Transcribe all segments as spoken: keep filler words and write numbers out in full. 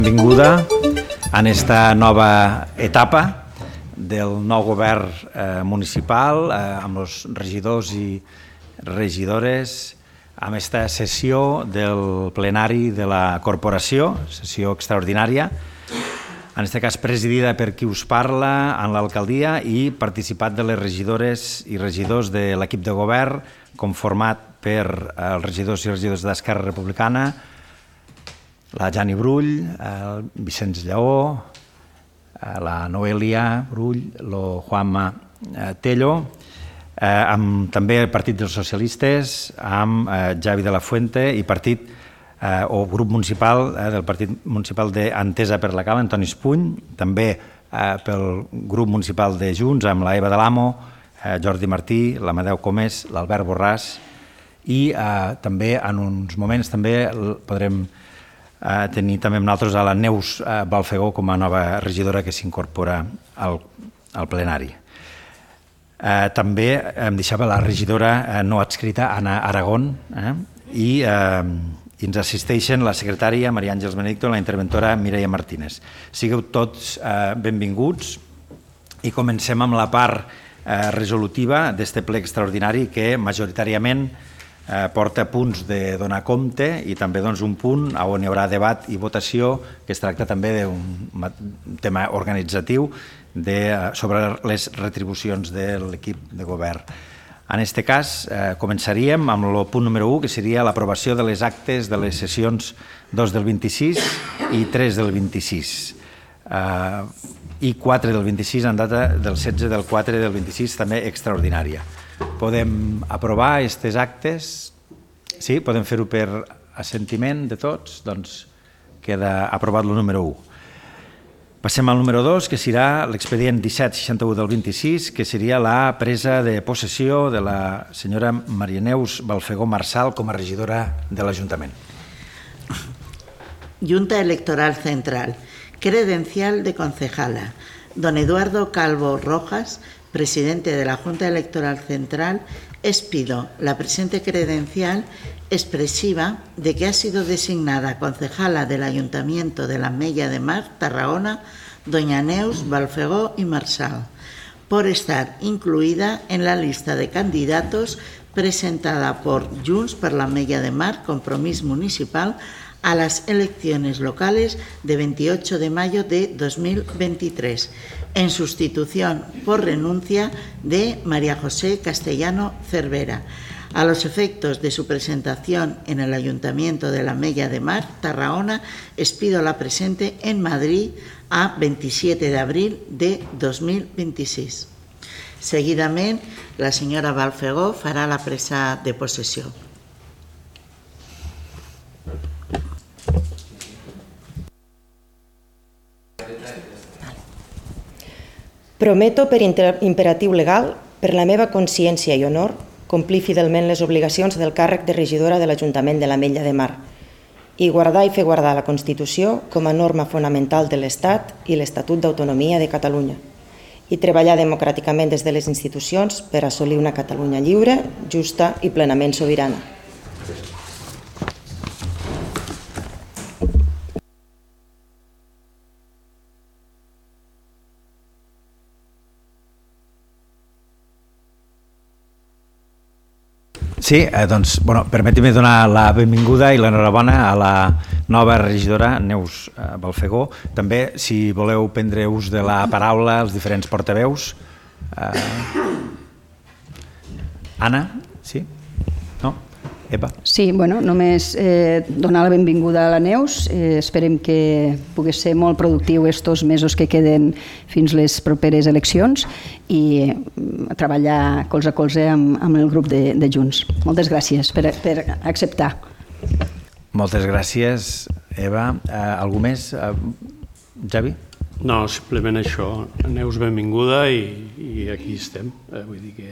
Benvinguda en esta nova etapa del nou govern eh, municipal eh, amb els regidors i regidores amb esta sessió del plenari de la corporació, sessió extraordinària, en aquest cas presidida per qui us parla en l'alcaldia i participat de les regidores i regidors de l'equip de govern conformat per els regidors i regidors d'Esquerra Republicana, la Jani Brull, el Vicenç Lleó, la Noelia Brull, el Juanma Tello, eh, amb també el Partit dels Socialistes, amb eh, Javi de la Fuente i partit eh, o grup municipal eh, del Partit Municipal d'Entesa per la Cala, Antoni Espuny, també eh, pel grup municipal de Junts, amb la Eva de l'Amo, eh, Jordi Martí, l'Amadeu Comés, l'Albert Borràs i eh, també en uns moments també podrem Uh, tenir també amb nosaltres a la Neus uh, Balfegó com a nova regidora que s'incorpora al, al plenari. Uh, també em deixava la regidora uh, no adscrita Anna Aragón eh? I, uh, i ens assisteixen la secretària Maria Àngels Benedicto i la interventora Mireia Martínez. Sigueu tots uh, benvinguts i comencem amb la part uh, resolutiva d'este ple extraordinari que majoritàriament Eh, porta punts de donar compte i també doncs, un punt on hi haurà debat i votació que es tracta també d'un tema organitzatiu de, sobre les retribucions de l'equip de govern. En aquest cas eh, començaríem amb el punt número u, que seria l'aprovació de les actes de les sessions dos del vint-i-sis i tres del vint-i-sis eh, i quatre del vint-i-sis en data del setze del quatre del vint-i-sis també extraordinària. Podem aprovar aquests actes? Sí? Podem fer-ho per assentiment de tots? Doncs queda aprovat el número u. Passem al número dos, que serà l'expedient disset seixanta-u del vint-i-sis, que seria la presa de possessió de la senyora Maria Neus Balfegó Marsal com a regidora de l'Ajuntament. Junta Electoral Central. Credencial de concejala. Don Eduardo Calvo Rojas, presidente de la Junta Electoral Central, expido la presente credencial expresiva de que ha sido designada concejala del Ayuntamiento de la Mella de Mar, Tarragona, doña Neus Balfegó y Marsal, por estar incluida en la lista de candidatos presentada por Junts per la Mella de Mar, Compromís Municipal, a las elecciones locales de veintiocho de mayo de dos mil veintitrés, en sustitución por renuncia de María José Castellano Cervera, a los efectos de su presentación en el Ayuntamiento de la Mella de Mar, Tarragona, expido la presente en Madrid a veintisiete de abril de dos mil veintiséis. Seguidamente, la señora Balfegó fará la presa de posesión. Prometo per imperatiu legal, per la meva consciència i honor, complir fidelment les obligacions del càrrec de regidora de l'Ajuntament de la Mella de Mar i guardar i fer guardar la Constitució com a norma fonamental de l'Estat i l'Estatut d'Autonomia de Catalunya i treballar democràticament des de les institucions per assolir una Catalunya lliure, justa i plenament sobirana. Sí, eh, doncs, bueno, permeti-me donar la benvinguda i l'enhorabona a la nova regidora Neus eh, Balfegó. També, si voleu prendre ús de la paraula, els diferents portaveus. Eh... Anna, sí? No? Eva? Sí, bueno, només eh, donar la benvinguda a la Neus. Eh, esperem que pugui ser molt productiu estos mesos que queden fins les properes eleccions i eh, treballar colze a colze amb, amb el grup de, de Junts. Moltes gràcies per, per acceptar. Moltes gràcies, Eva. Eh, algú més? Eh, Javi? No, simplement això. Neus, benvinguda i, i aquí estem. Eh, vull dir que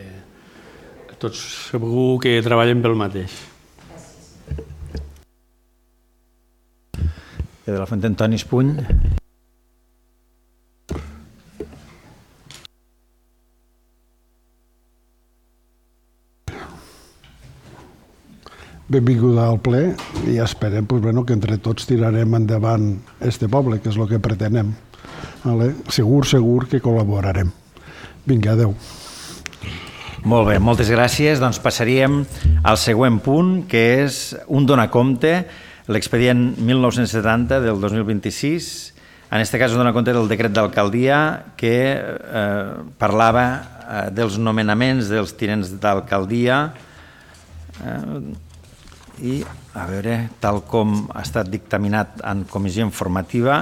tots segur que treballem pel mateix. De la Fuente, Antoni Espuny. benvinguda al ple i esperem pues, bueno, que entre tots tirarem endavant este poble, que és el que pretenem. Vale? Segur, segur que col·laborarem. Vinga, adeu. Molt bé, moltes gràcies. Doncs passaríem al següent punt, que és un donacompte, l'expedient mil nou-cents setanta del dos mil vint-i-sis. En aquest cas dona compte del decret d'alcaldia que eh, parlava eh, dels nomenaments dels tinents d'alcaldia eh, i, a veure, tal com ha estat dictaminat en comissió informativa,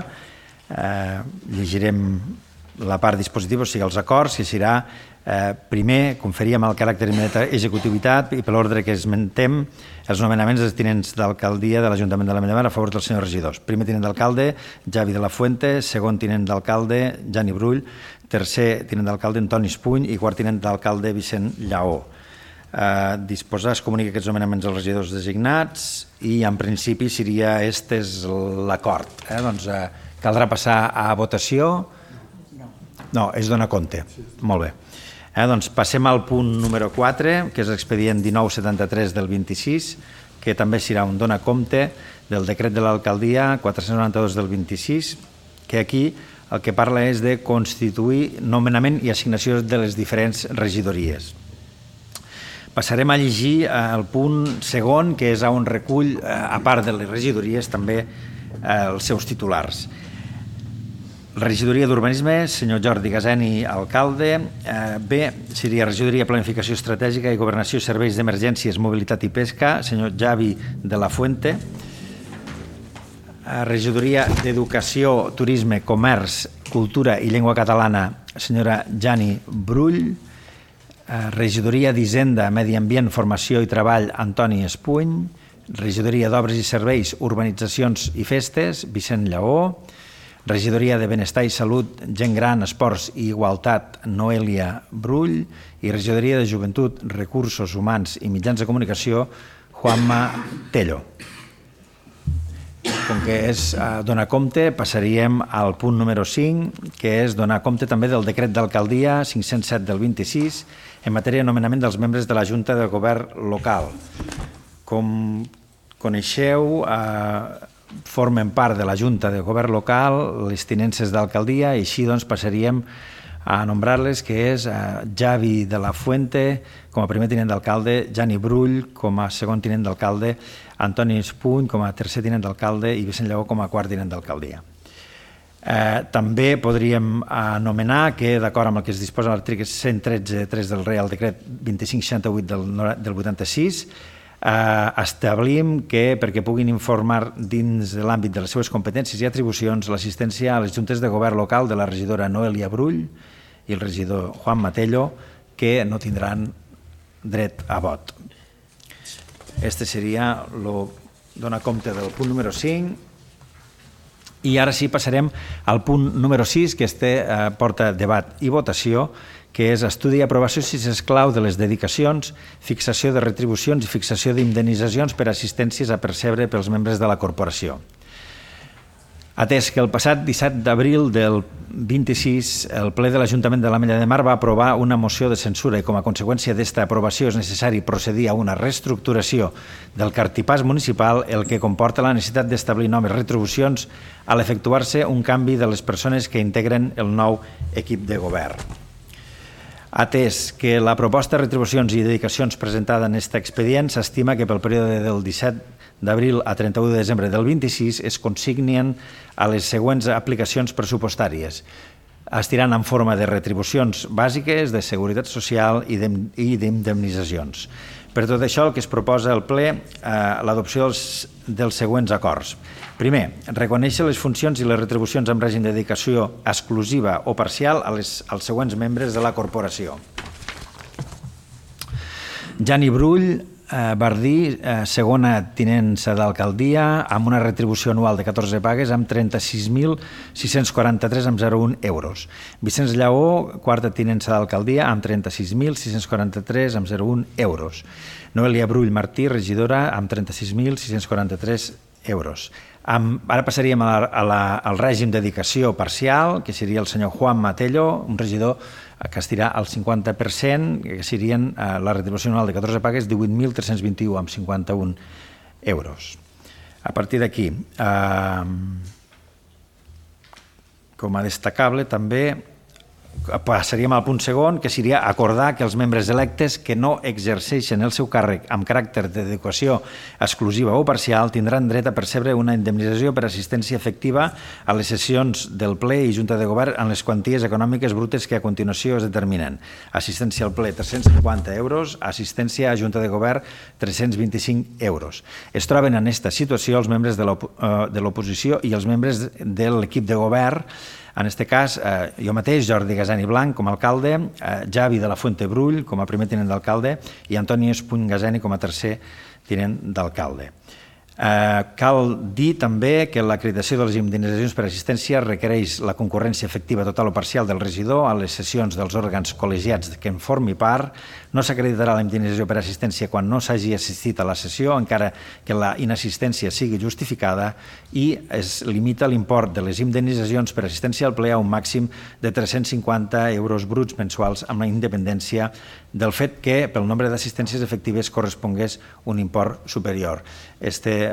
eh, llegirem la part dispositiva, o sigui, els acords, que serà Eh, primer, conferíem el caràcter d'executivitat i per l'ordre que esmentem els nomenaments dels tinents d'alcaldia de l'Ajuntament de l'Ametlla de Mar a favor dels senyors regidors. Primer tinent d'alcalde, Javi de la Fuente, segon tinent d'alcalde, Jani Brull, tercer tinent d'alcalde, Antoni Espuny i quart tinent d'alcalde, Vicent Lleó. Eh, disposar es comunica aquests nomenaments als regidors designats i en principi seria este és l'acord. Eh? Doncs eh, caldrà passar a votació. No, és donar compte. Molt bé. Eh, doncs passem al punt número quatre, que és l'expedient dinou setanta-tres del vint-i-sis, que també serà un dona compte del decret de l'alcaldia quatre-cents noranta-dos del vint-i-sis, que aquí el que parla és de constituir nomenament i assignació de les diferents regidories. Passarem a llegir el punt segon, que és on recull, a part de les regidories, també els seus titulars. La regidoria d'Urbanisme, senyor Jordi Gaseni, alcalde. B, seria regidoria Planificació Estratègica i Governació, Serveis d'Emergències, Mobilitat i Pesca, senyor Javi de la Fuente. Regidoria d'Educació, Turisme, Comerç, Cultura i Llengua Catalana, senyora Jani Brull. Regidoria d'Hisenda, Medi Ambient, Formació i Treball, Antoni Espuny. Regidoria d'Obres i Serveis, Urbanitzacions i Festes, Vicent Lleó. Regidoria de Benestar i Salut, Gent Gran, Esports i Igualtat, Noelia Brull. I Regidoria de Joventut, Recursos Humans i Mitjans de Comunicació, Juanma Tello. Com que és donar compte, passaríem al punt número cinc, que és donar compte també del decret d'alcaldia cinc-cents set del vint-i-sis en matèria de nomenament dels membres de la Junta de Govern local. Com coneixeu, eh, formen part de la Junta de Govern local les tinences d'alcaldia i així doncs passaríem a nombrar-les, que és Javi de la Fuente com a primer tinent d'alcalde, Jani Brull com a segon tinent d'alcalde, Antoni Espuny com a tercer tinent d'alcalde i Vicent Lleó com a quart tinent d'alcaldia. Eh, també podríem anomenar que, d'acord amb el que es disposa a l'article cent tretze punt tres del Reial Decret vint-i-cinc seixanta-vuit del, del vuitanta-sis, eh, establim que perquè puguin informar dins de l'àmbit de les seves competències i atribucions l'assistència a les juntes de govern local de la regidora Noelia Brull i el regidor Juan Matello, que no tindran dret a vot. Este seria el donar compte del punt número cinc. I ara sí passarem al punt número sis, que este eh, porta debat i votació, que és estudi i aprovació si s'esclau de les dedicacions, fixació de retribucions i fixació d'indemnitzacions per assistències a percebre pels membres de la corporació. Atès que el passat disset d'abril del vint-i-sis el ple de l'Ajuntament de l'Ametlla de Mar va aprovar una moció de censura i com a conseqüència d'esta aprovació és necessari procedir a una reestructuració del cartipàs municipal, el que comporta la necessitat d'establir noves retribucions a l'efectuar-se un canvi de les persones que integren el nou equip de govern. Atès que la proposta de retribucions i dedicacions presentada en aquest expedient s'estima que pel període del disset d'abril a trenta-u de desembre del vint-i-sis es consignen a les següents aplicacions pressupostàries. Es tiran en forma de retribucions bàsiques, de seguretat social i d'indemnitzacions. Per tot això, el que es proposa al ple, eh, l'adopció dels, dels següents acords. Primer, reconèixer les funcions i les retribucions en règim de dedicació exclusiva o parcial a les, als següents membres de la corporació. Jani Brull, eh, Bardí, eh, segona tinença d'alcaldia, amb una retribució anual de catorze pagues amb trenta-sis mil sis-cents quaranta-tres coma zero un euros. Vicenç Lleó, quarta tinença d'alcaldia, amb trenta-sis mil sis-cents quaranta-tres coma zero un euros. Noelia Brull Martí, regidora, amb trenta-sis mil sis-cents quaranta-tres euros. Ara passaríem al règim de dedicació parcial, que seria el senyor Juan Matello, un regidor que estirà al cinquanta per cent, que serien la retribució anual de catorze pagues divuit mil tres-cents vint-i-u coma cinquanta-un euros. A partir d'aquí, com a destacable també passaríem al punt segon, que seria acordar que els membres electes que no exerceixen el seu càrrec amb caràcter de dedicació exclusiva o parcial tindran dret a percebre una indemnització per assistència efectiva a les sessions del ple i Junta de Govern en les quanties econòmiques brutes que a continuació es determinen. Assistència al ple tres-cents cinquanta euros, assistència a Junta de Govern tres-cents vint-i-cinc euros. Es troben en aquesta situació els membres de l'oposició i els membres de l'equip de govern. En aquest cas, jo mateix, Jordi Gasani Blanc, com a alcalde, Javi de la Fuente Brull, com a primer tinent d'alcalde, i Antoni Espuny Gasani com a tercer tinent d'alcalde. Cal dir també que l'acreditació de les indemnitzacions per assistència requereix la concurrència efectiva total o parcial del regidor a les sessions dels òrgans col·legiats que en formi part. No s'acreditarà la indemnització per assistència quan no s'hagi assistit a la sessió, encara que la inassistència sigui justificada, i es limita l'import de les indemnitzacions per assistència al ple a un màxim de tres-cents cinquanta euros bruts mensuals, amb la independència del fet que pel nombre d'assistències efectives correspongués un import superior. Este,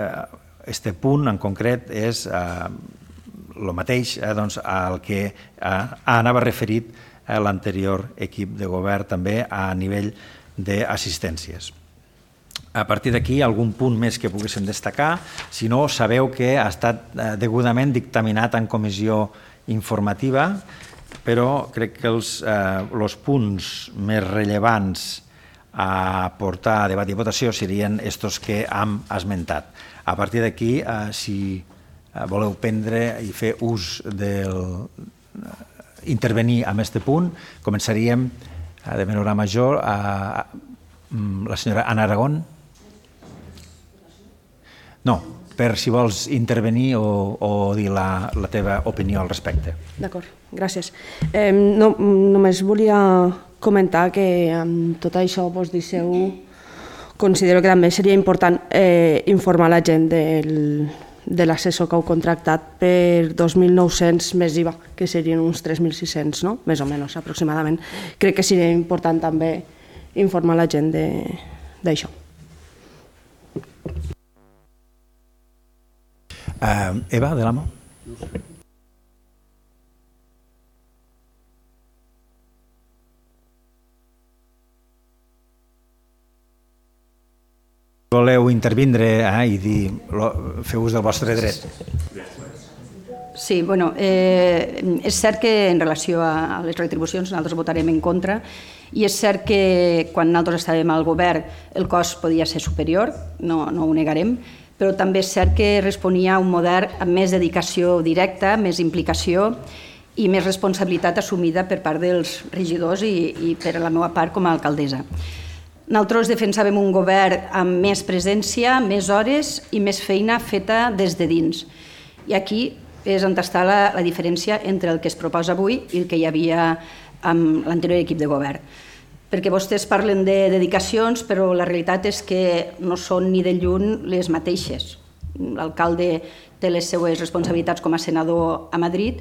este punt en concret és el mateix al que anava referit l'anterior equip de govern també a nivell d'assistències. A partir d'aquí, algun punt més que poguéssim destacar. Si no, sabeu que ha estat degudament dictaminat en comissió informativa, però crec que els, eh, els punts més rellevants a portar a debat i votació serien estos que hem esmentat. A partir d'aquí, eh, si voleu prendre i fer ús del intervenir en aquest punt, començaríem de menor a major a la senyora Ana Aragón. No, per si vols intervenir o, o dir la, la teva opinió al respecte. D'acord, gràcies. Eh, no, només volia comentar que amb tot això vos disseu, considero que també seria important eh, informar la gent del, de l'assessor que heu contractat per dos mil nou-cents més I V A, que serien uns tres mil sis-cents, no? Més o menys, aproximadament. Crec que seria important també informar la gent d'això. Uh, Eva, de l'Amo. Voleu intervindre eh, i dir, feu ús del vostre dret. Sí, bueno, eh, és cert que en relació a les retribucions nosaltres votarem en contra, i és cert que quan nosaltres estàvem al govern el cost podia ser superior, no, no ho negarem, però també és cert que responia a un model amb més dedicació directa, més implicació i més responsabilitat assumida per part dels regidors i, i per la meva part com a alcaldessa. Nosaltres defensàvem un govern amb més presència, més hores i més feina feta des de dins. I aquí és on està la, la diferència entre el que es proposa avui i el que hi havia amb l'anterior equip de govern. Perquè vostès parlen de dedicacions, però la realitat és que no són ni de lluny les mateixes. L'alcalde té les seues responsabilitats com a senador a Madrid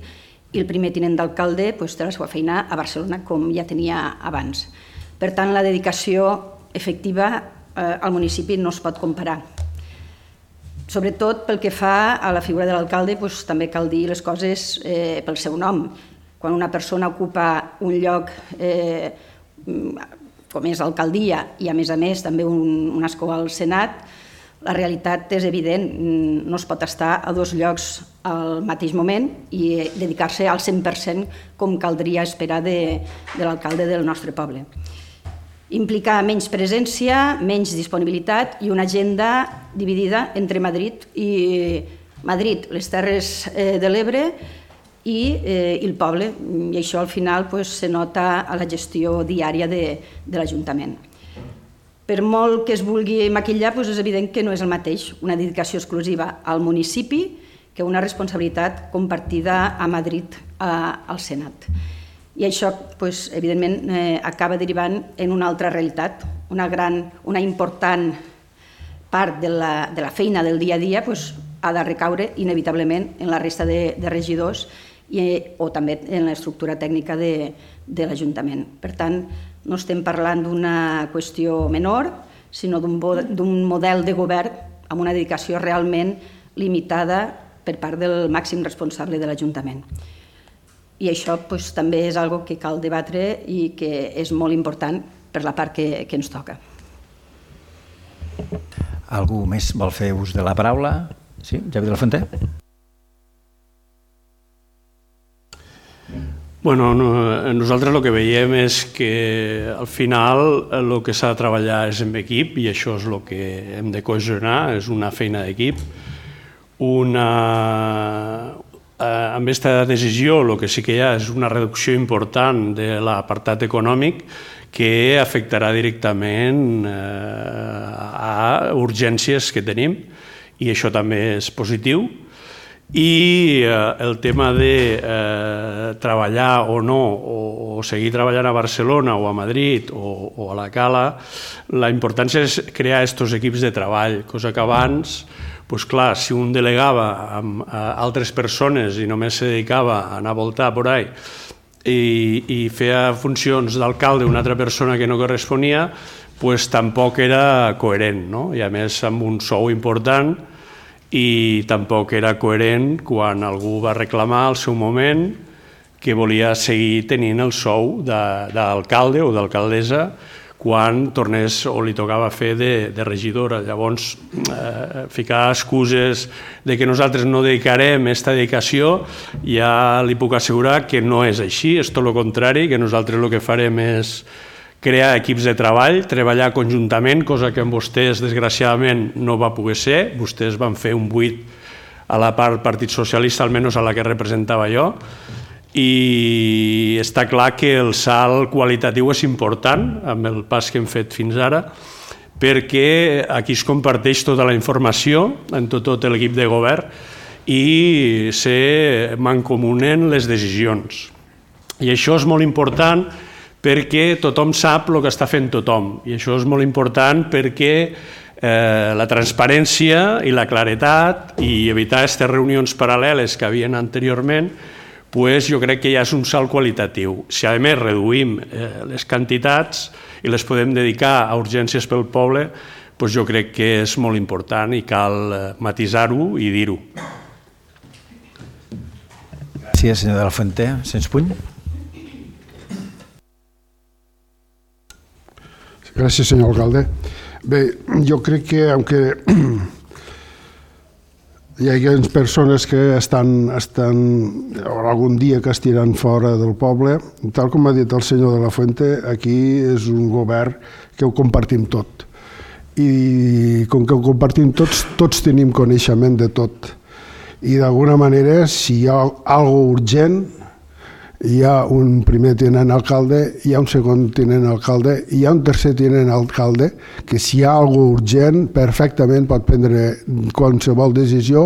i el primer tinent d'alcalde té la seva feina a Barcelona, com ja tenia abans. Per tant, la dedicació efectiva al municipi no es pot comparar. Sobretot pel que fa a la figura de l'alcalde, també cal dir les coses pel seu nom. Quan una persona ocupa un lloc com és l'alcaldia i a més a més també un, un escó al Senat, la realitat és evident, no es pot estar a dos llocs al mateix moment i dedicar-se al cent per cent com caldria esperar de, de l'alcalde del nostre poble. Implica menys presència, menys disponibilitat i una agenda dividida entre Madrid i Madrid, les Terres de l'Ebre i el poble, i això al final se nota a la gestió diària de l'Ajuntament. Per molt que es vulgui maquillar, és evident que no és el mateix una dedicació exclusiva al municipi que una responsabilitat compartida a Madrid al Senat. I això, evidentment, acaba derivant en una altra realitat, una gran, una important part de la feina del dia a dia ha de recaure inevitablement en la resta de, de regidors i, o també en l'estructura tècnica de, de l'Ajuntament. Per tant, no estem parlant d'una qüestió menor, sinó d'un model de govern amb una dedicació realment limitada per part del màxim responsable de l'Ajuntament. I això doncs, també és una cosa que cal debatre i que és molt important per la part que, que ens toca. Algú més vol fer ús de la paraula? Sí, Javi de la Fuente? Bueno, no, nosaltres el que veiem és que al final el que s'ha de treballar és en equip i això és el que hem de cohesionar, és una feina d'equip. Una... Amb aquesta decisió el que sí que hi ha és una reducció important de l'apartat econòmic que afectarà directament a urgències que tenim i això també és positiu. I el tema de treballar o no, o seguir treballant a Barcelona o a Madrid o a la Cala, la importància és crear aquests equips de treball, cosa que abans, doncs clar, si un delegava amb altres persones i només se dedicava a anar a voltar por ahí i, i feia funcions d'alcalde una altra persona que no corresponia, doncs tampoc era coherent, no? I a més amb un sou important i tampoc era coherent quan algú va reclamar al seu moment que volia seguir tenint el sou d'alcalde o d'alcaldessa quan tornés o li tocava fer de, de regidora. Llavors, eh, ficar excuses de que nosaltres no dedicarem aquesta dedicació, ja li puc assegurar que no és així, és tot el contrari, que nosaltres el que farem és crear equips de treball, treballar conjuntament, cosa que amb vostès, desgraciadament, no va poder ser. Vostès van fer un buit a la part Partit Socialista, almenys a la que representava jo, i està clar que el salt qualitatiu és important amb el pas que hem fet fins ara perquè aquí es comparteix tota la informació en tot, tot l'equip de govern i se mancomunen les decisions. I això és molt important perquè tothom sap el que està fent tothom i això és molt important perquè eh, la transparència i la claretat i evitar aquestes reunions paral·leles que havien anteriorment, pues jo crec que ja és un salt qualitatiu. Si a més reduïm les quantitats i les podem dedicar a urgències pel poble, pues jo crec que és molt important i cal matisar-ho i dir-ho. Gràcies, senyor de la Fuente. Sens Puny. Gràcies, senyor alcalde. Bé, jo crec que, aunque hi ha persones que estan, estan algun dia que estiran fora del poble, tal com ha dit el senyor de la Fuente, aquí és un govern que ho compartim tot. I com que ho compartim tots, tots tenim coneixement de tot. I d'alguna manera, si hi ha alguna urgent, hi ha un primer tinent alcalde, hi ha un segon tinent alcalde, hi ha un tercer tinent alcalde, que si hi ha alguna urgent, perfectament pot prendre qualsevol decisió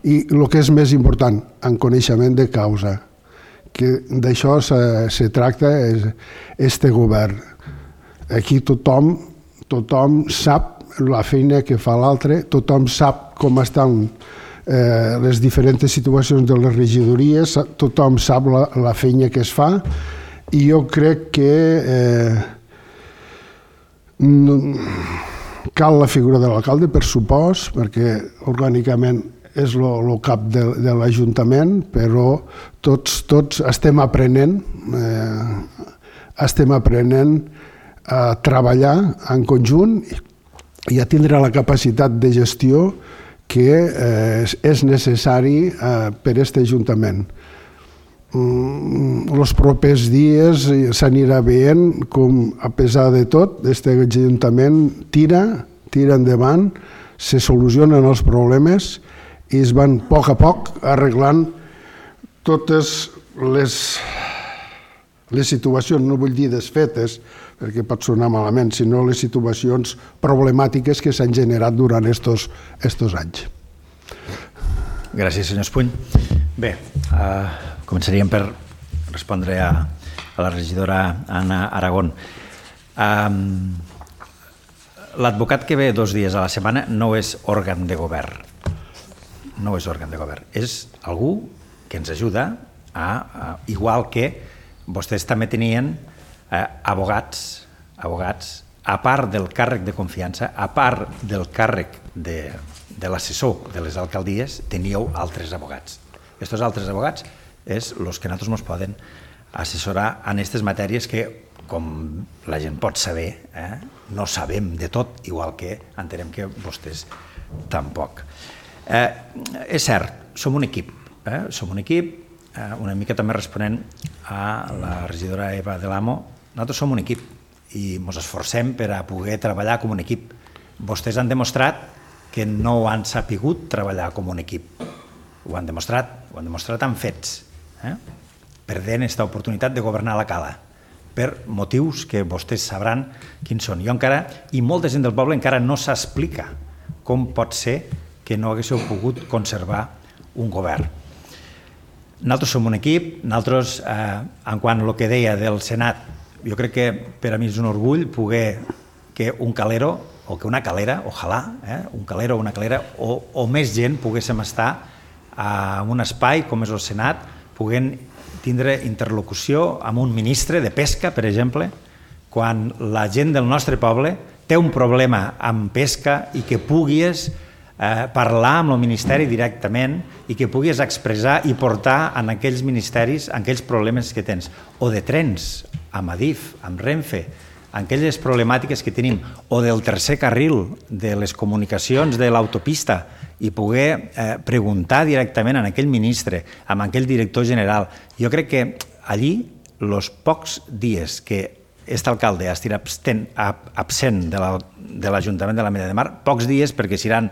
i el que és més important, en coneixement de causa. Que d'això se, se tracta este govern. Aquí tothom, tothom sap la feina que fa l'altre, tothom sap com estan Eh, les diferents situacions de les regidories, tothom sap la, la feina que es fa i jo crec que eh, no, cal la figura de l'alcalde, per supòs, perquè orgànicament és el cap de, de l'Ajuntament, però tots, tots estem aprenent, eh, estem aprenent a treballar en conjunt i a tindre la capacitat de gestió que eh, és necessari eh, per a aquest Ajuntament. Mm, els propers dies s'anirà veient com, a pesar de tot, aquest Ajuntament tira, tira endavant, se solucionen els problemes i es van a poc a poc arreglant totes les, les situacions, no vull dir desfetes, perquè pot sonar malament, sinó les situacions problemàtiques que s'han generat durant estos, estos anys. Gràcies, senyor Espuny. Bé, uh, començaríem per respondre a, a la regidora Anna Aragón. Um, L'advocat que ve dos dies a la setmana no és òrgan de govern. no és òrgan de govern, és algú que ens ajuda a, a igual que vostès també tenien eh, abogats, abogats, a part del càrrec de confiança, a part del càrrec de, de l'assessor de les alcaldies, teníeu altres abogats. Aquests altres abogats és els que nosaltres ens poden assessorar en aquestes matèries que, com la gent pot saber, eh, no sabem de tot, igual que entenem que vostès tampoc. Eh, és cert, som un equip, eh, som un equip, eh, una mica també responent a la regidora Eva de l'Amo, nosaltres som un equip i ens esforcem per a poder treballar com un equip. Vostès han demostrat que no han sapigut treballar com un equip. Ho han demostrat, ho han demostrat amb fets, eh? perdent aquesta oportunitat de governar la Cala, per motius que vostès sabran quins són. Jo encara, i molta gent del poble encara no s'explica com pot ser que no haguéssiu pogut conservar un govern. Nosaltres som un equip, nosaltres, eh, en quant a el que deia del Senat, jo crec que per a mi és un orgull poder que un calero, o que una calera, ojalà, eh, un calero o una calera, o, o més gent poguéssim estar en un espai com és el Senat, poguent tindre interlocució amb un ministre de pesca, per exemple, quan la gent del nostre poble té un problema amb pesca i que puguis eh, parlar amb el ministeri directament i que puguis expressar i portar en aquells ministeris aquells problemes que tens. O de trens, amb Adif, amb Renfe, aquelles problemàtiques que tenim, o del tercer carril de les comunicacions de l'autopista, i poder eh, preguntar directament a aquell ministre, a aquell director general. Jo crec que allí, els pocs dies que aquest alcalde ha estat absent de l'Ajuntament de l'Ametlla de Mar, pocs dies perquè seran,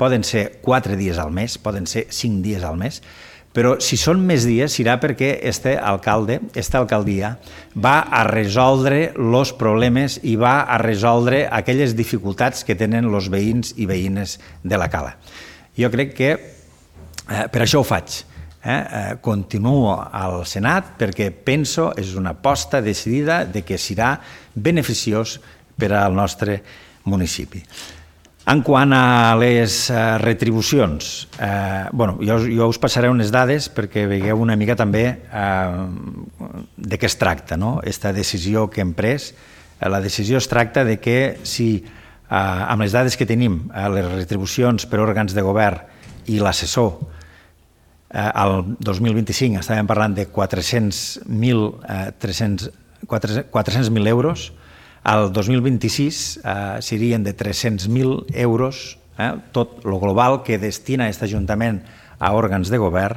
poden ser quatre dies al mes, poden ser cinc dies al mes, però si són més dies serà perquè este alcalde, esta alcaldia, va a resoldre els problemes i va a resoldre aquelles dificultats que tenen els veïns i veïnes de la Cala. Jo crec que eh, per això ho faig. Eh? Eh, continuo al Senat perquè penso, és una aposta decidida de que serà beneficiós per al nostre municipi. En quant a les uh, retribucions, eh, bueno, jo, jo us passaré unes dades perquè veieu una mica també eh, de què es tracta, no? Aquesta decisió que hem pres. Eh, la decisió es tracta de que si eh, amb les dades que tenim, eh, les retribucions per òrgans de govern i l'assessor, eh, el dos mil vint-i-cinc estàvem parlant de quatre-cents mil euros, el dos mil vint-i-sis eh, serien de tres-cents mil euros, eh, tot el global que destina aquest Ajuntament a òrgans de govern.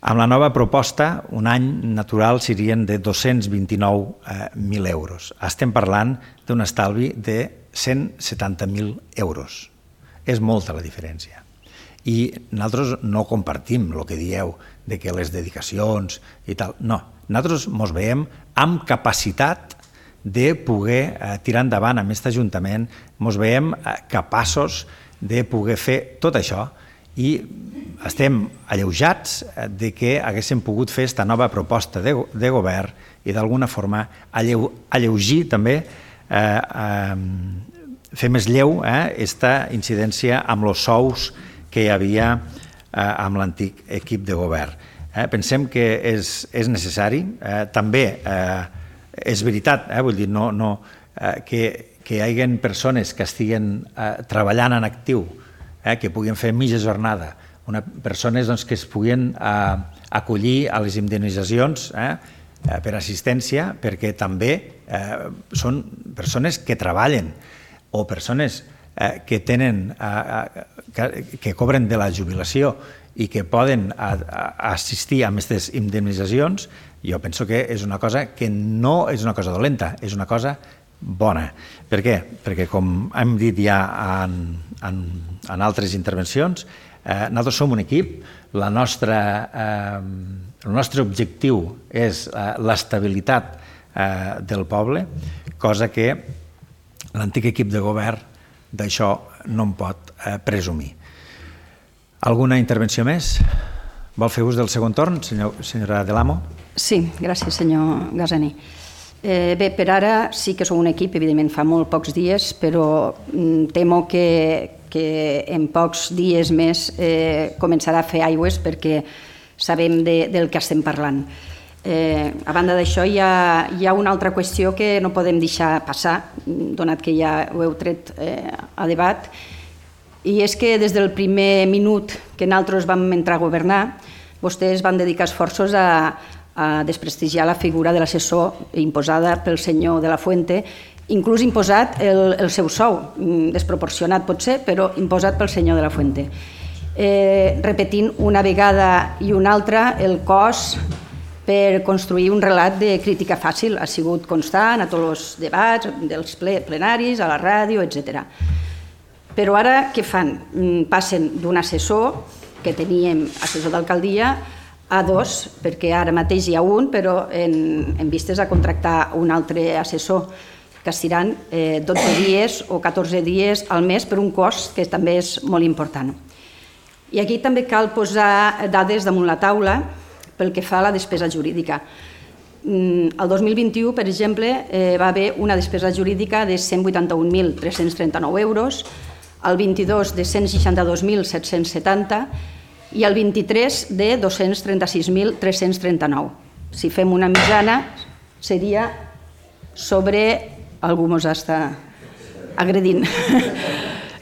Amb la nova proposta, un any natural serien de dos-cents vint-i-nou mil euros. Estem parlant d'un estalvi de cent setanta mil euros. És molta la diferència. I nosaltres no compartim el que dieu de que les dedicacions i tal. No, nosaltres ens veiem amb capacitat de poder eh, tirar endavant amb aquest Ajuntament, ens veiem eh, capaços de poder fer tot això i estem alleujats de que haguéssim pogut fer aquesta nova proposta de, de govern i d'alguna forma alleu, alleugir també, eh, eh, fer més lleu aquesta eh, incidència amb els sous que hi havia eh, amb l'antic equip de govern. Eh, pensem que és, és necessari, eh, també eh, és veritat, eh, vull dir, no, no, eh, que, que hi hagi persones que estiguen eh, treballant en actiu, eh, que puguin fer mitja jornada, una, persones doncs, que es puguin eh, acollir a les indemnitzacions eh, per assistència, perquè també eh, són persones que treballen o persones eh, que tenen, eh, que, que cobren de la jubilació i que poden a, a assistir a aquestes indemnitzacions. Jo penso que és una cosa que no és una cosa dolenta, és una cosa bona. Per què? Perquè, com hem dit ja en, en, en altres intervencions, eh, nosaltres som un equip, la nostra, eh, el nostre objectiu és eh, l'estabilitat eh, del poble, cosa que l'antic equip de govern d'això no en pot eh, presumir. Alguna intervenció més? Vol fer ús del segon torn, senyor, senyora de l'Amo? Sí, gràcies, senyor Gasani. Eh, bé, per ara sí que som un equip, evidentment fa molt pocs dies, però mm, temo que, que en pocs dies més eh, començarà a fer aigües perquè sabem de, del que estem parlant. Eh, a banda d'això, hi, ha, hi ha una altra qüestió que no podem deixar passar, donat que ja ho heu tret eh, a debat, i és que des del primer minut que nosaltres vam entrar a governar, vostès van dedicar esforços a a desprestigiar la figura de l'assessor imposada pel senyor de la Fuente, inclús imposat el, el seu sou, desproporcionat pot ser, però imposat pel senyor de la Fuente. Eh, repetint una vegada i una altra el cost per construir un relat de crítica fàcil. Ha sigut constant a tots els debats dels plenaris, a la ràdio, etcètera. Però ara què fan? Passen d'un assessor, que teníem assessor d'alcaldia, a dos, perquè ara mateix hi ha un, però en, en vistes a contractar un altre assessor, que estiran eh, dotze dies o catorze dies al mes per un cost que també és molt important. I aquí també cal posar dades damunt la taula pel que fa a la despesa jurídica. El dos mil vint-i-u, per exemple, eh, va haver una despesa jurídica de cent vuitanta-un mil tres-cents trenta-nou euros, el vint-i-dos de cent seixanta-dos mil set-cents setanta i el vint-i-tres de dos-cents trenta-sis mil tres-cents trenta-nou. Si fem una mitjana, seria sobre... Algú mos està agredint.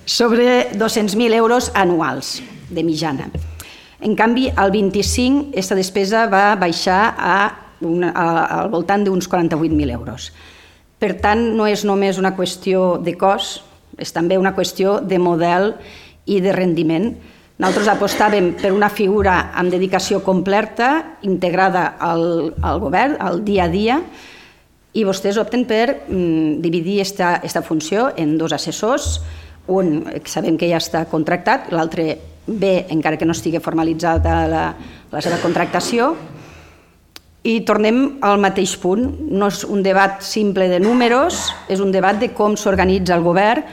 Sobre dos-cents mil euros anuals de mitjana. En canvi, al vint-i-cinc, aquesta despesa va baixar a una, a, al voltant d'uns quaranta-vuit mil euros. Per tant, no és només una qüestió de cost, és també una qüestió de model i de rendiment. Nosaltres apostàvem per una figura amb dedicació completa, integrada al, al govern, al dia a dia, i vostès opten per mm, dividir aquesta funció en dos assessors, un que sabem que ja està contractat, l'altre bé, encara que no estigui formalitzada la, la seva contractació, i tornem al mateix punt. No és un debat simple de números, és un debat de com s'organitza el govern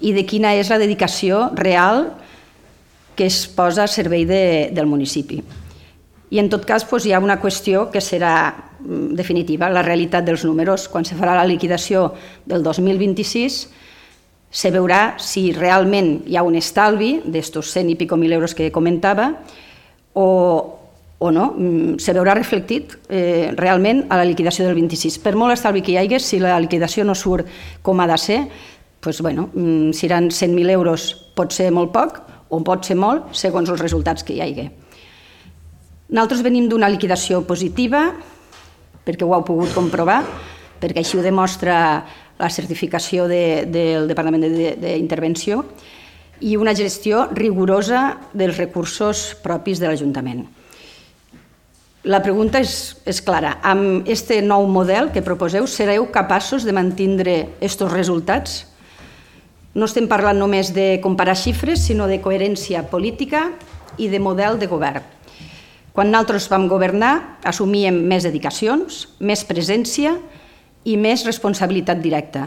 i de quina és la dedicació real que es posa a servei de, del municipi. I en tot cas doncs, hi ha una qüestió que serà definitiva, la realitat dels números. Quan se farà la liquidació del dos mil vint-i-sis se veurà si realment hi ha un estalvi d'estos cent i pico mil euros que comentava o, o no, se veurà reflectit eh, realment a la liquidació del vint-i-sis. Per molt estalvi que hi hagi, si la liquidació no surt com ha de ser, doncs, bueno, si eren cent mil euros pot ser molt poc o pot ser molt segons els resultats que hi hagi. Nosaltres venim d'una liquidació positiva, perquè ho heu pogut comprovar, perquè així ho demostra la certificació de, del Departament d'Intervenció, i una gestió rigorosa dels recursos propis de l'Ajuntament. La pregunta és, és clara. Amb aquest nou model que proposeu, sereu capaços de mantindre aquests resultats? No estem parlant només de comparar xifres, sinó de coherència política i de model de govern. Quan nosaltres vam governar, assumíem més dedicacions, més presència i més responsabilitat directa.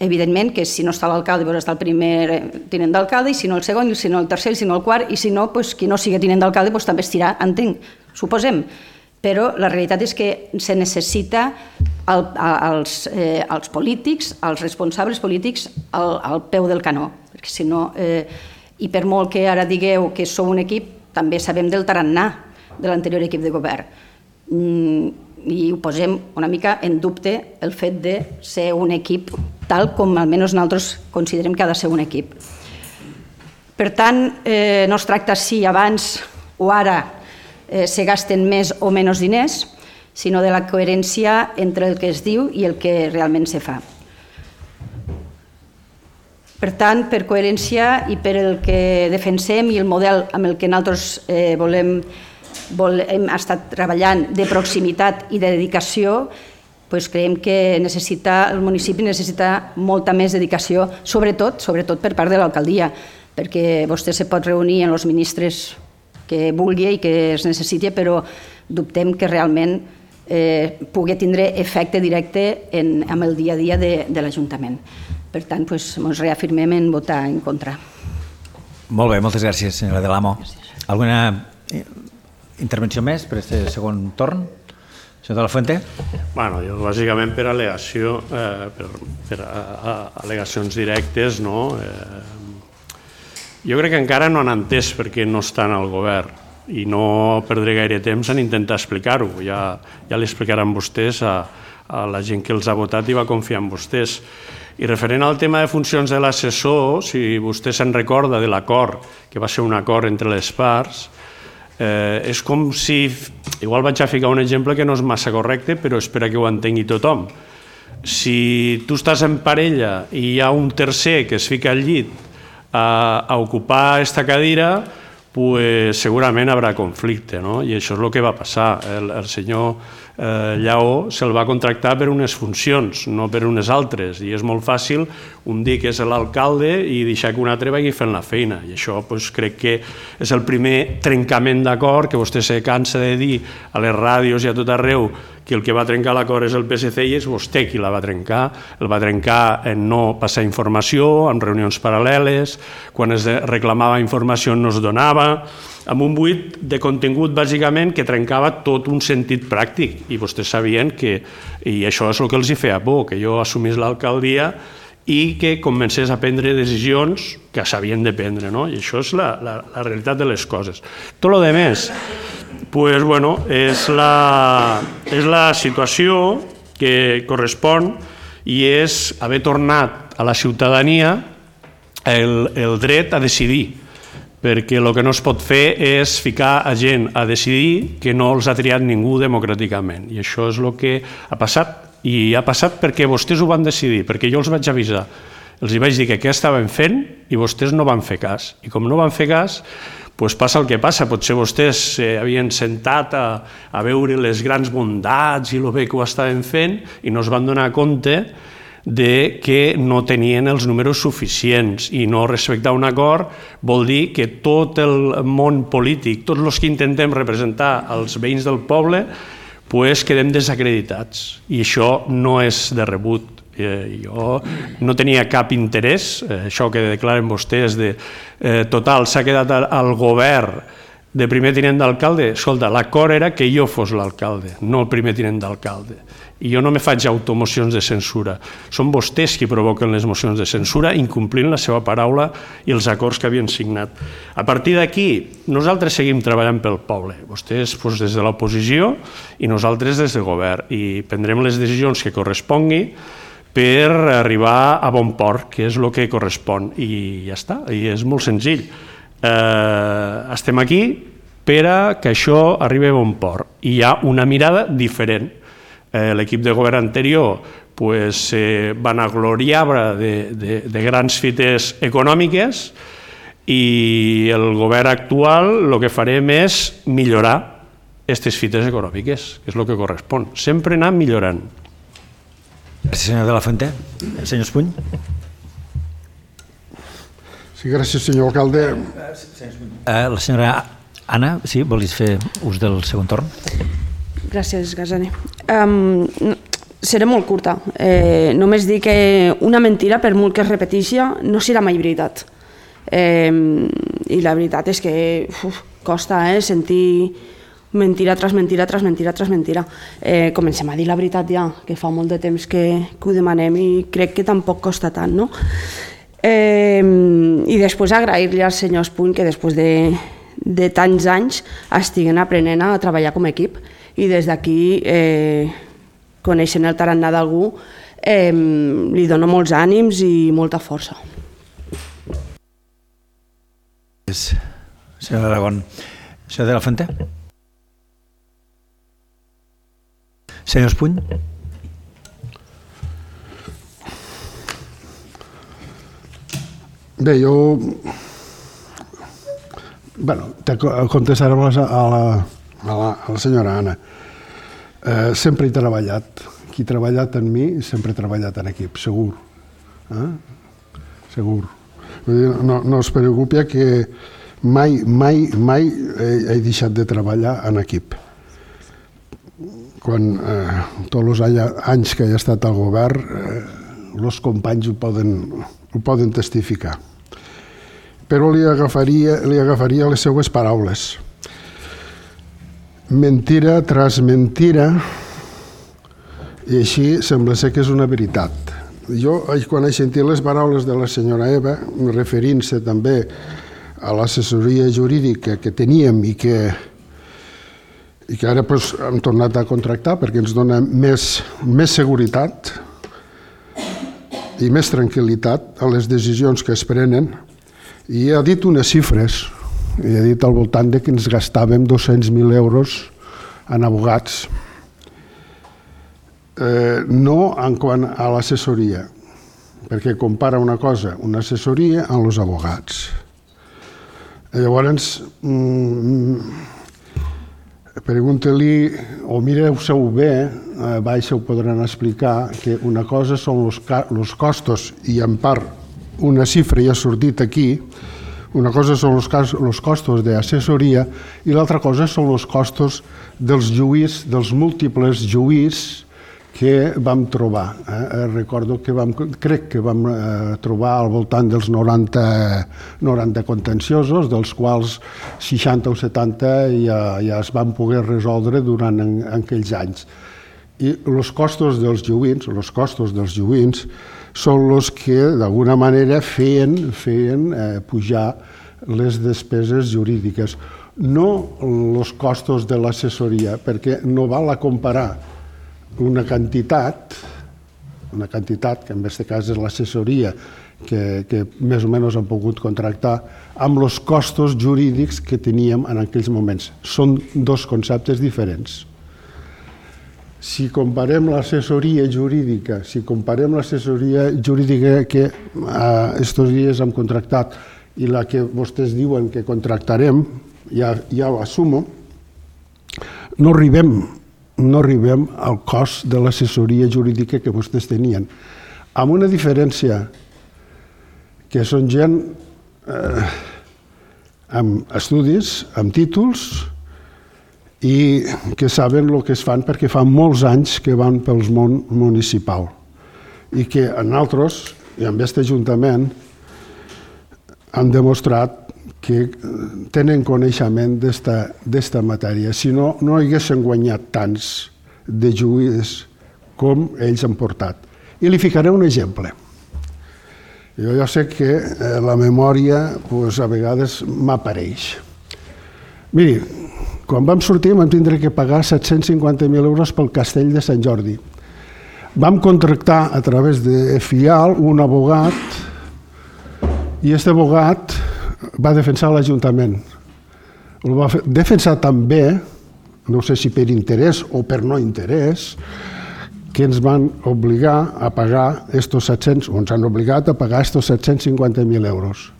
Evidentment que si no està l'alcalde, doncs està el primer tinent d'alcalde, i si no el segon, i si no el tercer, i si no el quart, i si no, doncs, qui no sigui tinent d'alcalde doncs, també estirà, entenc, suposem. Però la realitat és que se necessita el, els, eh, els polítics, els responsables polítics al, al peu del canó. Perquè si no, eh, i per molt que ara digueu que sou un equip, també sabem del tarannà de l'anterior equip de govern. Mm, I ho posem una mica en dubte el fet de ser un equip tal com almenys nosaltres considerem que ha de ser un equip. Per tant, eh, no es tracta si abans o ara eh, se gasten més o menys diners, sinó de la coherència entre el que es diu i el que realment se fa. Per tant, per coherència i per el que defensem i el model amb el que nosaltres eh, volem hem estat treballant de proximitat i de dedicació, doncs creiem que necessita, el municipi necessita molta més dedicació, sobretot, sobretot per part de l'alcaldia, perquè vostè se pot reunir amb els ministres que vulgui i que es necessiti, però dubtem que realment eh, pugui tindre efecte directe en, en el dia a dia de, de l'Ajuntament. Per tant, doncs, ens reafirmem en votar en contra. Molt bé, moltes gràcies, senyora Del Amo. Alguna intervenció més per aquest segon torn? Senyor de la Fuente? Bueno, jo bàsicament per al·legació, eh, per, per a, a, al·legacions directes, no? Eh, jo crec que encara no han entès perquè no estan al govern i no perdré gaire temps en intentar explicar-ho. Ja, ja l'explicaran vostès a, a la gent que els ha votat i va confiar en vostès. I referent al tema de funcions de l'assessor, si vostè se'n recorda de l'acord, que va ser un acord entre les parts, Eh, és com si, igual vaig a ficar un exemple que no és massa correcte, però espera que ho entengui tothom. Si tu estàs en parella i hi ha un tercer que es fica al llit a, a ocupar aquesta cadira, pues segurament haurà conflicte, no? I això és el que va passar. El, el senyor eh, Lleó se'l va contractar per unes funcions, no per unes altres, i és molt fàcil un dir que és l'alcalde i deixar que un altre vagi fent la feina, i això pues, crec que és el primer trencament d'acord que vostè se cansa de dir a les ràdios i a tot arreu que el que va trencar l'acord és el P S C i és vostè qui la va trencar. El va trencar en no passar informació, en reunions paral·leles, quan es reclamava informació no es donava, amb un buit de contingut bàsicament que trencava tot un sentit pràctic, i vostès sabien que, i això és el que els hi feia por, que jo assumís l'alcaldia i que comencés a prendre decisions que s'havien de prendre, no? I això és la, la, la realitat de les coses. Tot el demés, pues, bueno, és la, és la situació que correspon i és haver tornat a la ciutadania el, el dret a decidir, perquè el que no es pot fer és ficar a gent a decidir que no els ha triat ningú democràticament, i això és el que ha passat. I ha passat perquè vostès ho van decidir, perquè jo els vaig avisar. Els hi vaig dir que què estaven fent i vostès no van fer cas. I com no van fer cas, doncs passa el que passa. Potser vostès s'havien sentat a, a veure les grans bondats i el bé que ho estaven fent i no es van donar compte de que no tenien els números suficients, i no respectar un acord vol dir que tot el món polític, tots els que intentem representar els veïns del poble, pues quedem desacreditats, i això no és de rebut. Eh, jo no tenia cap interès, eh, això que declaren vostès de eh, total, s'ha quedat al, al govern de primer tinent d'alcalde. Escolta, l'acord era que jo fos l'alcalde, no el primer tinent d'alcalde, i jo no me faig automocions de censura. Són vostès qui provoquen les mocions de censura, incomplint la seva paraula i els acords que havien signat. A partir d'aquí, nosaltres seguim treballant pel poble, vostès doncs, des de l'oposició i nosaltres des del govern, i prendrem les decisions que correspongui per arribar a bon port, que és el que correspon, i ja està, i és molt senzill. Eh, estem aquí per a que això arribi a bon port, i hi ha una mirada diferent. Eh, l'equip de govern anterior pues, eh, van agloriar de, de, de grans fites econòmiques, i el govern actual el que farem és millorar aquestes fites econòmiques, que és el que correspon, sempre anar millorant. Gràcies, senyor de la Fuente. Senyor Espuny. Sí, gràcies, senyor alcalde. Eh, la senyora Anna, sí, volis fer ús del segon torn? Gràcies, Gasani. Um, seré molt curta. Eh, només dir que una mentira, per molt que es repeteixi, no serà mai veritat. Eh, I la veritat és que uf, costa eh, sentir mentira tras mentira, tras mentira, tras mentira. Eh, comencem a dir la veritat ja, que fa molt de temps que, que ho demanem, i crec que tampoc costa tant, no? Eh, I després agrair-li al senyor Espuny que després de, de tants anys estiguen aprenent a treballar com a equip, i des d'aquí, eh, coneixent el tarannà d'algú, eh, li dono molts ànims i molta força. Senyor Aragón. Senyor de la Fuente. Senyor Espuny. Bé, jo... Bueno, te contestaré a la, a la, a la senyora Anna. Eh, sempre he treballat. Qui ha treballat en mi sempre ha treballat en equip, segur. Eh? Segur. No, no es preocupi que mai, mai, mai he, he deixat de treballar en equip. Quan eh, tots els anys que he estat al govern, eh, els companys ho poden, ho poden testificar. Però li agafaria, li agafaria les seues paraules. Mentira tras mentira I així sembla ser que és una veritat. Jo, quan he sentit les paraules de la senyora Eva, referint-se també a l'assessoria jurídica que teníem i que, i que ara pues, hem tornat a contractar perquè ens dona més, més seguretat i més tranquil·litat a les decisions que es prenen, i ha dit unes xifres, i ha dit al voltant de que ens gastàvem dos-cents mil euros en abogats. Eh, no en quant a l'assessoria, perquè compara una cosa, una assessoria amb els abogats. Llavors, mm, pregunta-li, o mireu-se-ho bé, eh, baix ho podran explicar, que una cosa són els costos, i en part una xifra ja ha sortit aquí, una cosa són els costos d'assessoria i l'altra cosa són els costos dels lluís, dels múltiples lluís que vam trobar. Eh? Recordo que vam, crec que vam eh, trobar al voltant dels noranta, noranta contenciosos, dels quals seixanta o setanta ja, ja es van poder resoldre durant en, en aquells anys. I els costos dels lluïns, els costos dels lluïns són els que d'alguna manera feien, feien eh, pujar les despeses jurídiques. No els costos de l'assessoria, perquè no val a comparar una quantitat, una quantitat que en aquest cas és l'assessoria que, que més o menys han pogut contractar, amb els costos jurídics que teníem en aquells moments. Són dos conceptes diferents. Si comparem l'assessoria jurídica, si comparem l'assessoria jurídica que aquests dies hem contractat i la que vostès diuen que contractarem, ja, ja ho assumo, no arribem no arribem al cost de l'assessoria jurídica que vostès tenien, amb una diferència que són gent eh, amb estudis, amb títols, i que saben el que es fan perquè fa molts anys que van pel món municipal i que en altres, i en aquest Ajuntament, han demostrat que tenen coneixement d'esta matèria. Si no, no haguessin guanyat tants de juís com ells han portat. I li ficaré un exemple. Jo ja sé que la memòria pues, a vegades m'apareix. Miri, quan vam sortir vam tindre que pagar set-cents cinquanta mil euros pel castell de Sant Jordi. Vam contractar a través de FIAL un abogat i aquest abogat va defensar l'Ajuntament. El va defensar també, no sé si per interès o per no interès, que ens van obligar a pagar estos set-cents, o ens han obligat a pagar estos set-cents cinquanta mil euros.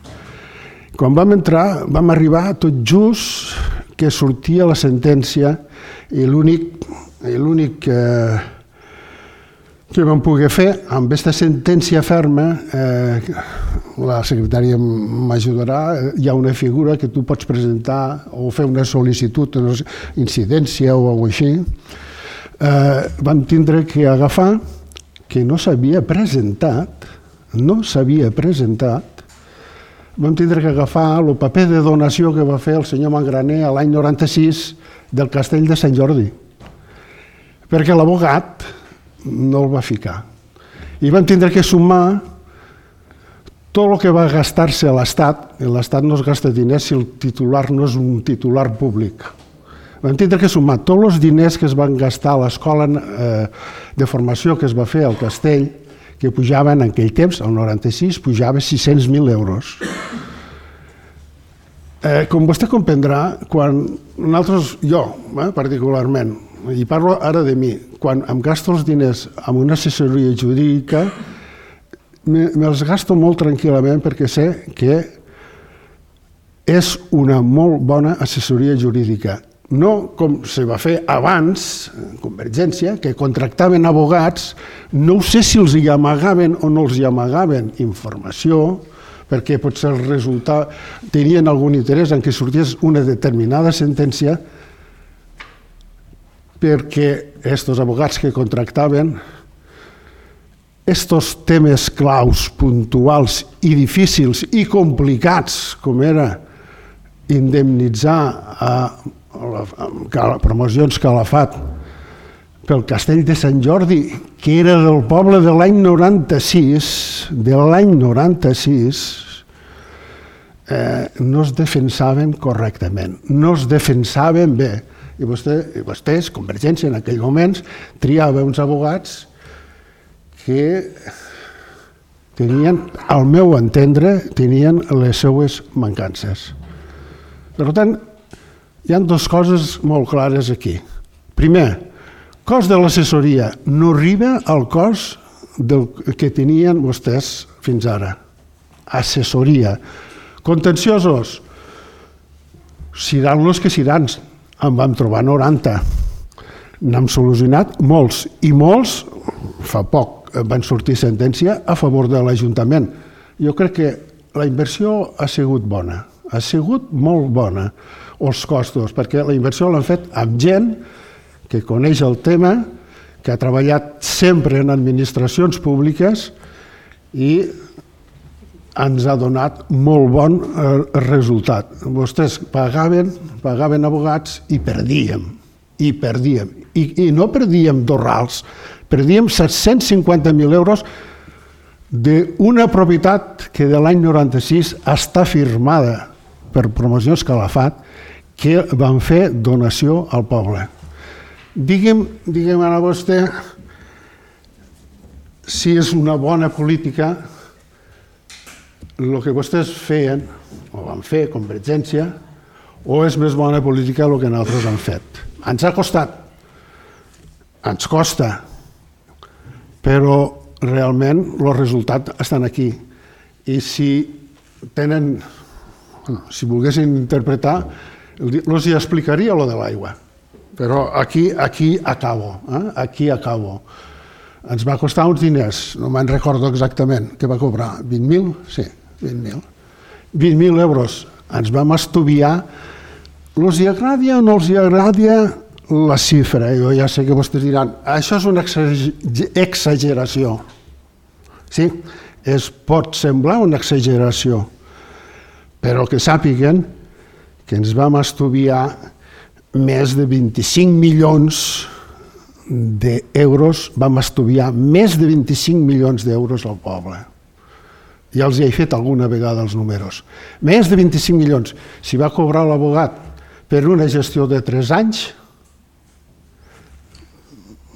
Quan vam entrar, vam arribar tot just que sortia la sentència i l'únic l'únic que, que vam poder fer amb aquesta sentència ferma, eh, la secretària m'ajudarà, hi ha una figura que tu pots presentar o fer una sol·licitud, una incidència o alguna cosa així. Eh, vam tindre que agafar que no s'havia presentat, no s'havia presentat, vam tindre que agafar el paper de donació que va fer el senyor Mangraner a l'any noranta-sis del castell de Sant Jordi, perquè l'abogat no el va ficar. I vam tindre que sumar tot el que va gastar-se a l'Estat. L'Estat no es gasta diners si el titular no és un titular públic. Vam tindre que sumar tots els diners que es van gastar a l'escola eh, de formació que es va fer al castell, que pujaven en aquell temps, el noranta-sis, pujava sis-cents mil euros. Eh, com vostè comprendrà, quan nosaltres, jo eh, particularment, i parlo ara de mi, quan em gasto els diners amb una assessoria jurídica, me'ls gasto molt tranquil·lament perquè sé que és una molt bona assessoria jurídica. No com se va fer abans, Convergència, que contractaven abogats, no sé si els hi amagaven o no els hi amagaven informació, perquè potser el resultat tenien algun interès en que sortís una determinada sentència, perquè aquests abogats que contractaven, estos temes claus, puntuals i difícils i complicats, com era indemnitzar a, a, a promocions Calafat pel castell de Sant Jordi, que era del poble de l'any noranta-sis, de l'any noranta-sis, eh, no es defensaven correctament, no es defensaven bé. I vostè, vostès, Convergència, en aquell moment, triava uns abogats que tenien, al meu entendre, tenien les seues mancances. Per tant, hi ha dues coses molt clares aquí. Primer, cost de l'assessoria no arriba al cost del que tenien vostès fins ara. Assessoria. Contenciosos, seran els que seran. En vam trobar noranta. N'hem solucionat molts, i molts, fa poc, van sortir sentència a favor de l'Ajuntament. Jo crec que la inversió ha sigut bona, ha sigut molt bona, els costos, perquè la inversió l'han fet amb gent que coneix el tema, que ha treballat sempre en administracions públiques i ens ha donat molt bon resultat. Vostès pagaven, pagaven abogats i perdíem, i perdíem. I, i no perdíem dos rals, perdíem set-cents cinquanta mil euros d'una propietat que de l'any noranta-sis està firmada per Promocions Calafat, que van fer donació al poble. Digue'm, digue'm ara vostè si és una bona política el que vostès feien, o van fer, Convergència, o és més bona política el que nosaltres han fet. Ens ha costat, ens costa, però realment els resultats estan aquí. I si tenen, si volguessin interpretar, els hi explicaria lo de l'aigua. Però aquí, aquí acabo, eh? aquí acabo. Ens va costar uns diners, no me'n recordo exactament, què va cobrar? vint mil? Sí. vint mil. vint mil euros. Ens vam estudiar. Els hi agrada o no els hi agrada la xifra? Jo ja sé que vostès diran, això és una exageració. Sí, es pot semblar una exageració, però que sàpiguen que ens vam estudiar més de vint-i-cinc milions d'euros, vam estudiar més de vint-i-cinc milions d'euros al poble. Ja els hi he fet alguna vegada els números. Més de vint-i-cinc milions. Si va cobrar l'abogat per una gestió de tres anys,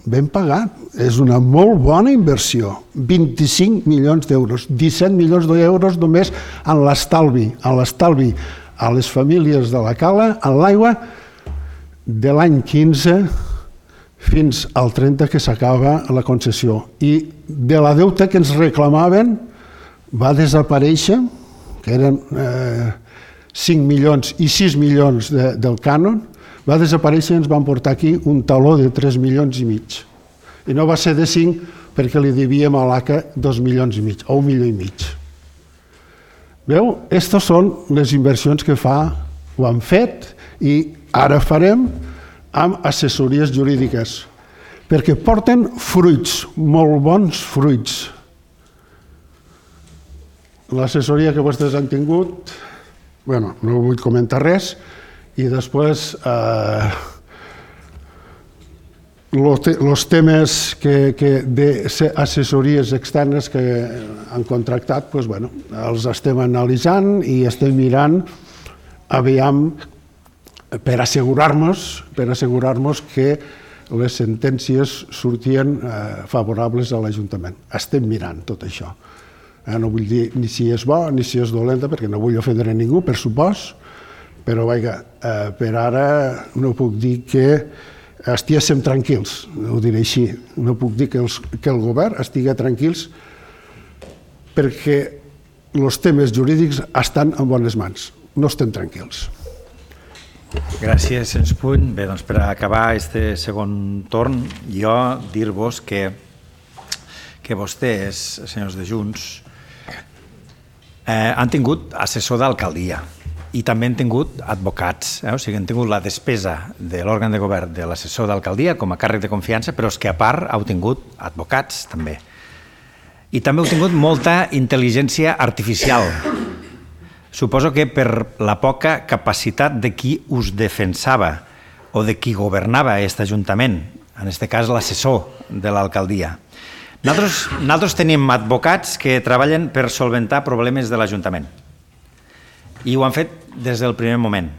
ben pagat. És una molt bona inversió. vint-i-cinc milions d'euros. disset milions d'euros només en l'estalvi, en l'estalvi a les famílies de la Cala, en l'aigua, de l'any quinze fins al trenta que s'acaba la concessió. I de la deuta que ens reclamaven va desaparèixer, que eren eh, cinc milions i sis milions de, del cànon, va desaparèixer i ens van portar aquí un taló de tres milions i mig. I no va ser de cinc perquè li devíem a l'A C A dos milions i mig, o un milió i mig. Veu? Aquestes són les inversions que fa, ho han fet i ara farem amb assessories jurídiques, perquè porten fruits, molt bons fruits. L'assessoria que vostès han tingut, bueno, no vull comentar res, i després eh, els temes que, que d'assessories externes que han contractat, doncs, bueno, els estem analitzant i estem mirant aviam per assegurar-nos per assegurar-nos que les sentències sortien eh, favorables a l'Ajuntament. Estem mirant tot això. Eh, no vull dir ni si és bo ni si és dolenta, perquè no vull ofendre ningú, per supost, però vaja, eh, per ara no puc dir que estiguéssim tranquils, ho diré així. No puc dir que, els, que el govern estigui tranquils perquè els temes jurídics estan en bones mans. No estem tranquils. Gràcies, Sens Puny. Bé, doncs per acabar este segon torn, jo dir-vos que, que vostès, senyors de Junts, eh, han tingut assessor d'alcaldia i també han tingut advocats, eh? O sigui, han tingut la despesa de l'òrgan de govern de l'assessor d'alcaldia com a càrrec de confiança, però és que a part heu tingut advocats també. I també heu tingut molta intel·ligència artificial. Suposo que per la poca capacitat de qui us defensava o de qui governava aquest Ajuntament en aquest cas l'assessor de l'alcaldia. Nosaltres, nosaltres tenim advocats que treballen per solventar problemes de l'Ajuntament i ho han fet des del primer moment.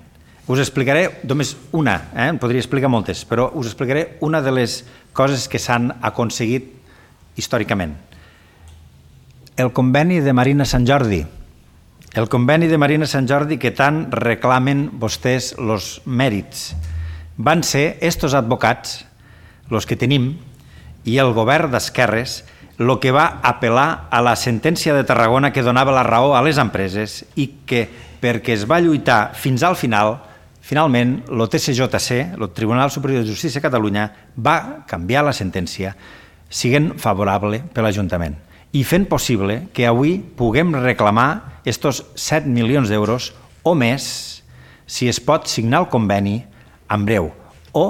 Us explicaré només una, eh? en podria explicar moltes, però us explicaré una de les coses que s'han aconseguit històricament. El conveni de Marina Sant Jordi. El conveni de Marina Sant Jordi que tant reclamen vostès els mèrits. Van ser estos advocats, els que tenim, i el govern d'esquerres, el que va apel·lar a la sentència de Tarragona que donava la raó a les empreses i que, perquè es va lluitar fins al final, finalment, el T C J C, el Tribunal Superior de Justícia de Catalunya, va canviar la sentència siguent favorable per l'Ajuntament i fent possible que avui puguem reclamar estos set milions d'euros o més si es pot signar el conveni en breu o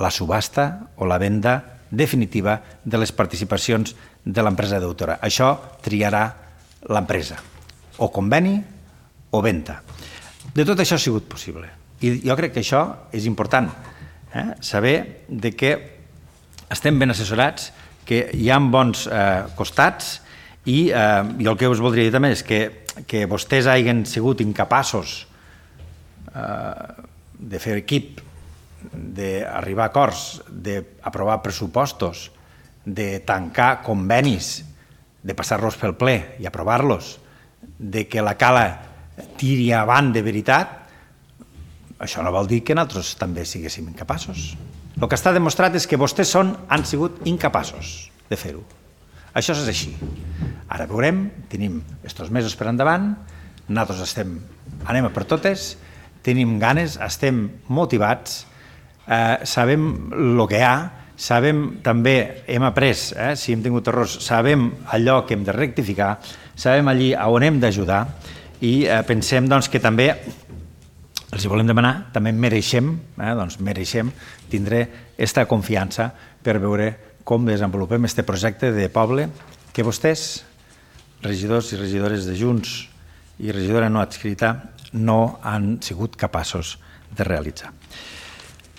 la subhasta o la venda definitiva de les participacions de l'empresa deutora. Això triarà l'empresa, o conveni o venda. De tot això ha sigut possible. I jo crec que això és important, eh? saber de que estem ben assessorats, que hi ha bons eh, costats i, eh, i el que us voldria dir també és que, que vostès hagin sigut incapaços eh, de fer equip, d'arribar a acords, d'aprovar pressupostos, de tancar convenis, de passar-los pel ple i aprovar-los, de que la cala tiri avant de veritat, això no vol dir que nosaltres també siguéssim incapaços. El que està demostrat és que vostès són, han sigut incapaços de fer-ho. Això és així. Ara veurem, tenim estos mesos per endavant, nosaltres estem, anem a per totes, tenim ganes, estem motivats, eh, sabem el que hi ha, sabem també, hem après, eh, si hem tingut errors, sabem allò que hem de rectificar, sabem allí on hem d'ajudar i eh, pensem doncs, que també els hi volem demanar, també mereixem, eh, doncs mereixem tindre aquesta confiança per veure com desenvolupem aquest projecte de poble que vostès, regidors i regidores de Junts i regidora no adscrita, no han sigut capaços de realitzar.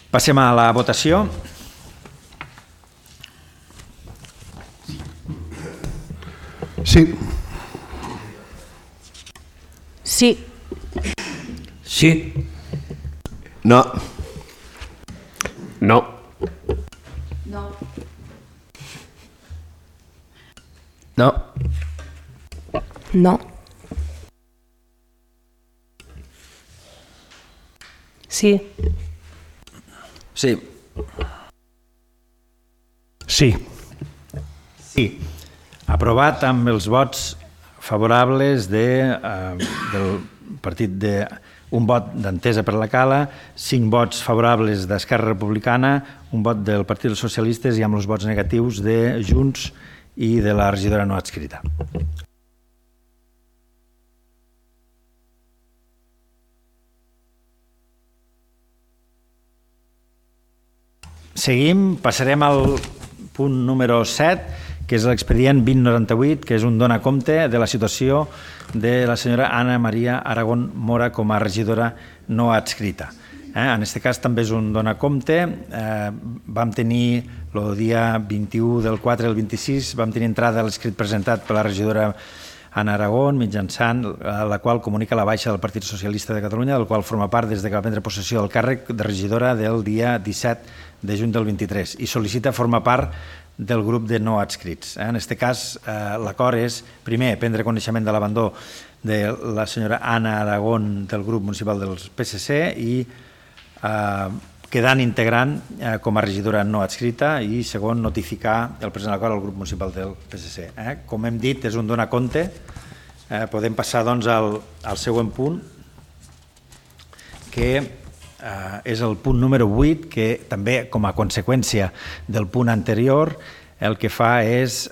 Passem a la votació. Sí. Sí. Sí. No. No. No. No. No. Sí. Sí. Sí. Sí. Aprovat amb els vots favorables de, eh, del partit de un vot d'Entesa per la Cala, cinc vots favorables d'Esquerra Republicana, un vot del Partit dels Socialistes i amb els vots negatius de Junts i de la regidora no adscrita. Seguim, passarem al punt número set, que és l'expedient vint noranta-vuit, que és un dona compte de la situació de la senyora Anna Maria Aragón Mora com a regidora no adscrita. Eh? En aquest cas també és un dona compte. Eh, vam tenir el dia vint-i-u del quatre al vint-i-sis, vam tenir entrada a l'escrit presentat per la regidora Anna Aragón, mitjançant la qual comunica la baixa del Partit Socialista de Catalunya, del qual forma part des que va prendre possessió del càrrec de regidora del dia disset de juny del vint-i-tres i sol·licita formar part del grup de no adscrits. En aquest cas, l'acord és, primer, prendre coneixement de l'abandó de la senyora Anna Aragón del grup municipal del P S C i quedant integrant com a regidora no adscrita i, segon, notificar el present acord al grup municipal del P S C. Com hem dit, és un donar compte. Podem passar doncs al següent punt, que és el punt número vuit, que també com a conseqüència del punt anterior el que fa és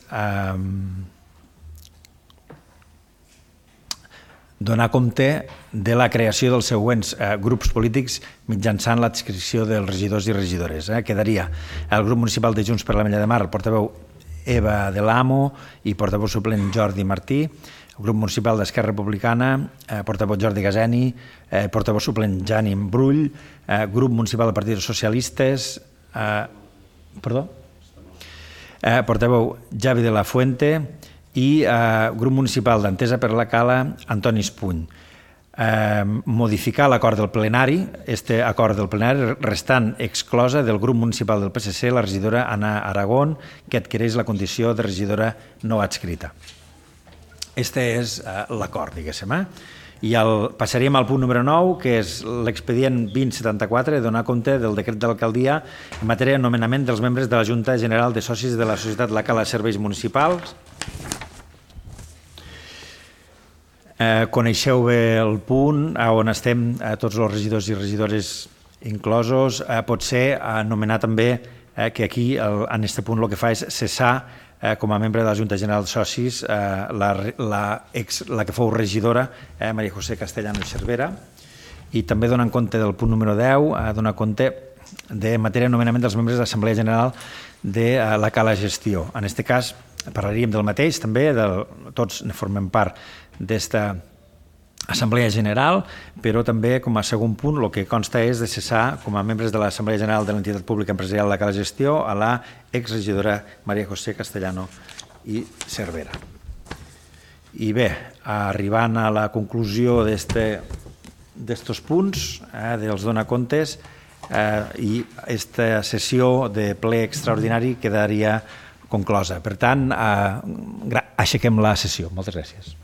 donar compte de la creació dels següents grups polítics mitjançant l'adscripció dels regidors i regidores. Quedaria el grup municipal de Junts per l'Ametlla de Mar, el portaveu Eva de l'Amo i portaveu suplent Jordi Martí, el grup municipal d'Esquerra Republicana, eh, portaveu Jordi Gaseni, eh, portaveu suplent Jani Brull, eh, grup municipal del Partit dels Socialistes, eh, perdó, eh, portaveu Javi de la Fuente i eh, grup municipal d'Entesa per la Cala, Antoni Espuny. Eh, modificar l'acord del plenari, este acord del plenari restant exclosa del grup municipal del P S C la regidora Anna Aragón, que adquireix la condició de regidora no adscrita. Este és eh, l'acord, diguéssim. Eh? I el, passaríem al punt número nou, que és l'expedient vint setanta-quatre, donar compte del decret de l'alcaldia en matèria de nomenament dels membres de la Junta General de Socis de la Societat La Cala de Serveis Municipals. Eh, coneixeu bé el punt on estem, eh, tots els regidors i regidores inclosos. Eh, pot ser anomenar també eh, que aquí el, en aquest punt el que fa és cessar eh, com a membre de la Junta General de Socis eh, la, la, ex, la que fou regidora, eh, Maria José Castellano i Cervera, i també donant compte del punt número deu, eh, donar compte de matèria de nomenament dels membres de l'Assemblea General de eh, la Cala Gestió. En aquest cas parlaríem del mateix, també, del, tots ne formem part d'esta Assemblea General, però també com a segon punt el que consta és de cessar com a membres de l'Assemblea General de l'Entitat Pública Empresarial de la Cala Gestió a la exregidora Maria José Castellano i Cervera. I bé, arribant a la conclusió d'estos punts, eh, dels donacomptes, eh, i aquesta sessió de ple extraordinari quedaria conclosa. Per tant, eh, aixequem la sessió. Moltes gràcies.